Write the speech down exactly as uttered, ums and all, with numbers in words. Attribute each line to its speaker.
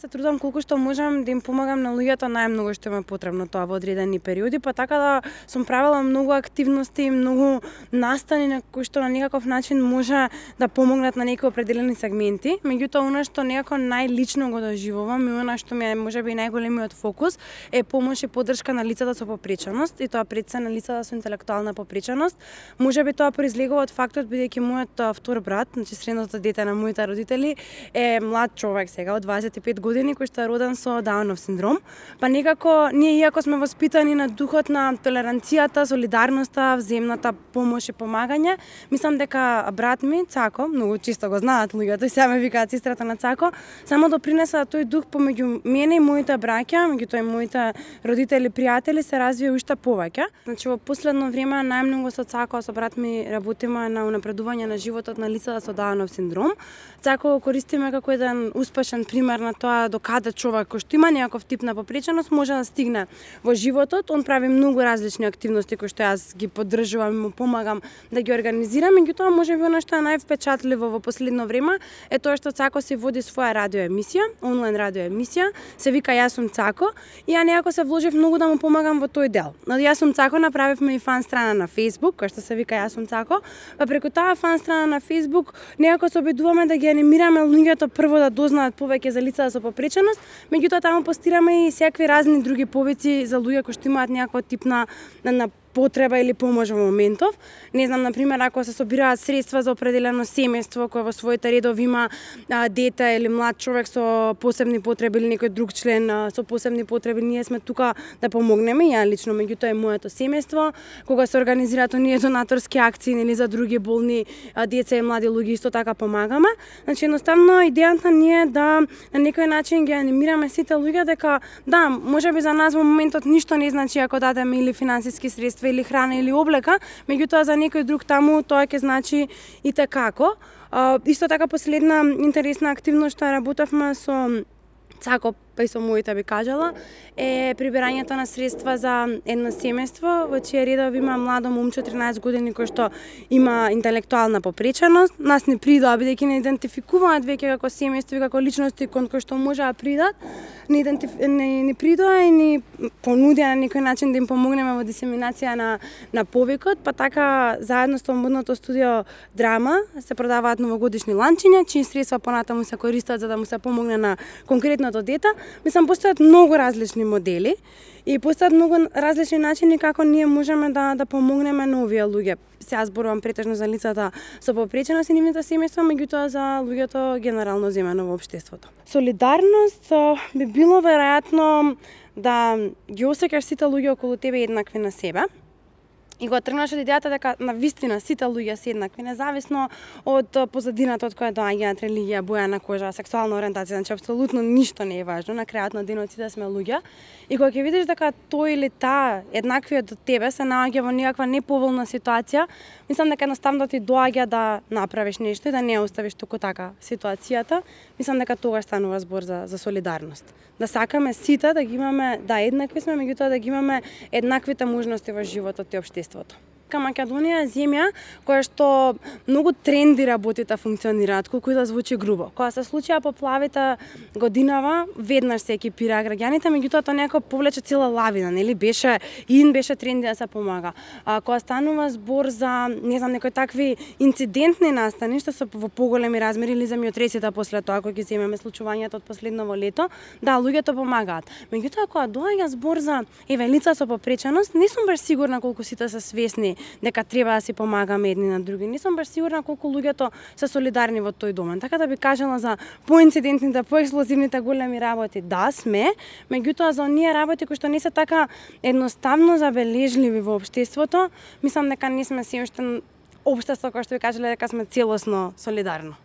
Speaker 1: се трудам колку што можам да им помагам на луѓето најмногу што им е потребно тоа во одредени периоди, па така да сум правела многу активности, многу настани на кои што на некаков начин може да помогнат на некои определени сегменти. Меѓутоа, она што некако најлично го доживувам и она што ми е можеби најголемиот фокус е помош и поддршка на лицата со попреченост, и тоа пред се на лицата со интелектуална попреченост. Можеби тоа произлегува од фактот бидејќи мојот втор брат, значи средното дете на моите родители, е млад човек сега од дваесет и пет години кој што е роден со Даунов синдром. Па некако ние иако сме воспитани на духот на толеранцијата, солидарноста, взаимната помош и помагање, мислам дека брат ми Цако, многу чисто го знаат луѓето и сега ме викаат сестрата на Цако, само допринеса тој дух помеѓу мене и моите браќа, меѓутоа и моите родители, пријатели се развија уште повеќе. Значи во последно време најмногу со Цако, со брат ми работиме на унапредување на животот на лицата со Даунов синдром. Цако го користиме како еден успешен пример на тоа до каде човек кој што има некаков тип на попреченост може да стигне во животот. Он прави многу различни активности кои што јас ги поддржувам и му помагам да ги организирам. Меѓутоа можеби она што е највпечатливо во последно време е тоа што Цако се води своја радио емисија, онлайн радио емисија, се вика Јас сум Цако, и ја некако се вложив многу да му помагам во тој дел. Но Јас сум Цако направивме и фан страна на Facebook, која што се вика Јас сум Цако, па преку таа фан страна на Facebook некако се обидуваме да ги анимираме луѓето прво да дознаат повеќе за лицата со попреченост, меѓутоа таму постираме и секакви разни други повици за луѓе кои што имаат некаков тип на, на, на потреба или помош во моментов. Не знам, например, ако се собираат средства за определено семејство кое во своите редови има а, дете или млад човек со посебни потреби или некој друг член а, со посебни потреби, ние сме тука да помогнеме, ја лично, меѓутоа и моето семејство, кога се организираат оние донаторски акции или за други болни а, деца и млади луѓе, исто така помагаме. Значи едноставно идејата ни е да на некој начин ги анимираме сите луѓе дека да, можеби за нас во моментот ништо не значи ако дадеме или финансиски средства или храна или облека, меѓутоа за некој друг таму тоа ќе значи и tekako. Исто така последна интересна активност што работевме со Цако, па и со моите би кажала, е прибирањето на средства за едно семејство во чија редови има младо момче тринаесет години кој што има интелектуална попреченост. Нас не придоа бидејќи не идентификуваат веќе како семејство и како личности кон кои што може да придат. Не, идентиф... не, не придоа и ни понудија на некој начин да им помогнеме во дисеминација на, на повикот, па така заедно со модното студио Драма се продаваат новогодишни ланчиња, чии средства понатаму се користат за да му се помогне на конкретното дете. Мислам, постојат многу различни модели и постојат многу различни начини како ние можеме да да помогнеме на овие луѓе. Сега зборувам претежно за лицата со попреченост и нивните семејства, меѓутоа за луѓето генерално земено во општеството. Солидарност би било веројатно да ги осеќаш сите луѓе околу тебе еднакви на себе. И го тргнаш од идејата дека на вистина сите луѓе се еднакви, независно од позадината од која доаѓаат, религија, боја на кожа, сексуална ориентација, значи апсолутно ништо не е важно, на крајот на денот сите сме луѓе. И кога ќе видиш дека тој или таа еднаквиот од тебе се наоѓа во некаква неповолна ситуација, мислам дека едноставно ти доаѓа да направиш нешто и да не оставиш туку така ситуацијата. Мислам дека тогаш станува збор за за солидарност. Да сакаме сите да ги имаме, да еднакви сме, меѓутоа да ги имаме еднаквите можности во животот и општеството. Македонија е земја која што многу тренди работите функционираат, колку и да звучи грубо. Кога се случија поплавите годинава, веднаш се екипираа граѓаните, меѓутоа тоа некако повлече цела лавина, нели? Беше ин беше тренди да се помага. А кога станува збор за, не знам, некои такви инцидентни настани што се во поголеми размери или земјотресите после тоа, кога ги земеме случувањето од последново лето, да, луѓето помагаат. Меѓутоа кога доаѓа збор за еве лица со попреченост, не сум баш сигурна колку сите се свесни дека треба да си помагаме едни на други. Не сум баш сигурна колку луѓето се солидарни во тој домен. Така да би кажала за поинцидентните, поексплозивните големи работи, да сме, меѓутоа за оние работи кои што не се така едноставно забележливи во општеството, мислам дека не сме се уште општество кој што ви кажале дека сме целосно солидарно.